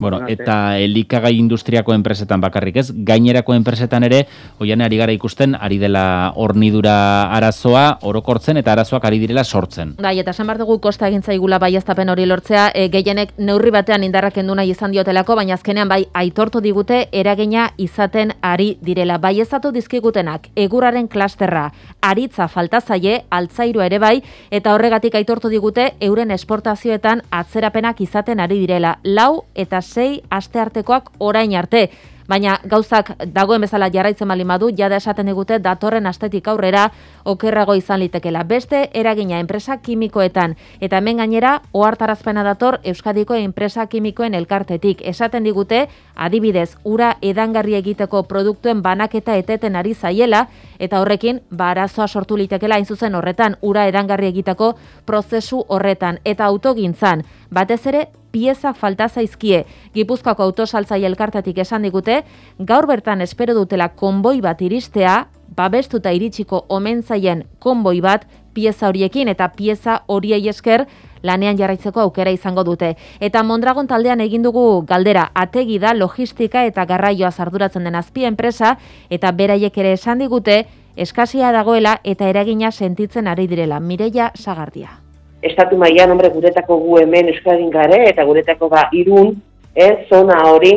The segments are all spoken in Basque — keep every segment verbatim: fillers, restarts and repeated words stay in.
Bueno, eta elikagai industriako enpresetan bakarrik ez, gainerako enpresetan ere, oian ari gara ikusten, ari dela hornidura arazoa, orokortzen eta arazoak ari direla sortzen. Bai, eta esan behar dugu kosta egin zaigula baieztapen hori lortzea, e, gehienek neurri batean indarrak kendu nahi izan diotelako, baina azkenean bai aitortu digute eragina izaten ari direla. Baieztatu dizkigutenak, egurraren klasterra, aritza falta zaie, altzairua ere bai, eta horregatik aitortu digute euren esportazioetan atzerapenak izaten ari direla. Lau eta sei asteartekoak orain arte. Baina gauzak dagoen bezala jarraitzen baldin badu, jada esaten digute datorren astetik aurrera okerrago izan litekela. Beste eragina enpresa kimikoetan eta hemen gainera ohartarazpena dator Euskadiko enpresa kimikoen elkartetik. Esaten digute adibidez ura edangarri egiteko produktuen banaketa eteten ari zaiela eta horrekin ba arazoa sortu litekela hain zuzen horretan ura edangarri egiteko prozesu horretan eta autogintzan batez ere pieza falta zaizkie. Gipuzkoako autosaltzaile elkartetik esan digute, gaur bertan espero dutela konboi bat iristea, babestuta iritsiko omen zaien konboi bat pieza horiekin eta pieza horiei esker lanean jarraitzeko aukera izango dute. Eta Mondragon taldean egin dugu galdera, ategi da logistika eta garraioa arduratzen den azpi enpresa eta beraiek ere esan digute eskasia dagoela eta eragina sentitzen ari direla. Mireia Sagardia. Estatu mailan hombre guretako gu hemen Euskadin gare eta guretako ba Irun, eh, zona hori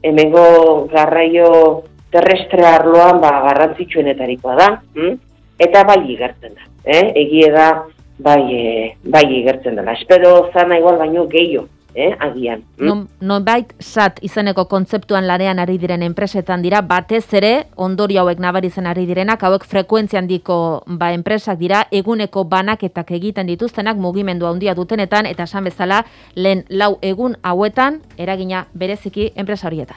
hemengo garraio terrestre arloan ba garrantzitsuenetarikoa da, hm? Eta bai igertzen da, eh? Egie da bai e, bai igertzen dela. Espero zana igual baino gehiago, eh, agian. Hm? Non, nonbait sat izeneko kontzeptuan lanean ari diren enpresetan dira, batez ere ondorio hauek nabaritzen ari direnak, hauek frekuentzia handiko ba enpresak dira, eguneko banaketak egiten dituztenak mugimendu handia dutenetan eta esan bezala lehen lau egun hauetan eragina bereziki enpresa horietan.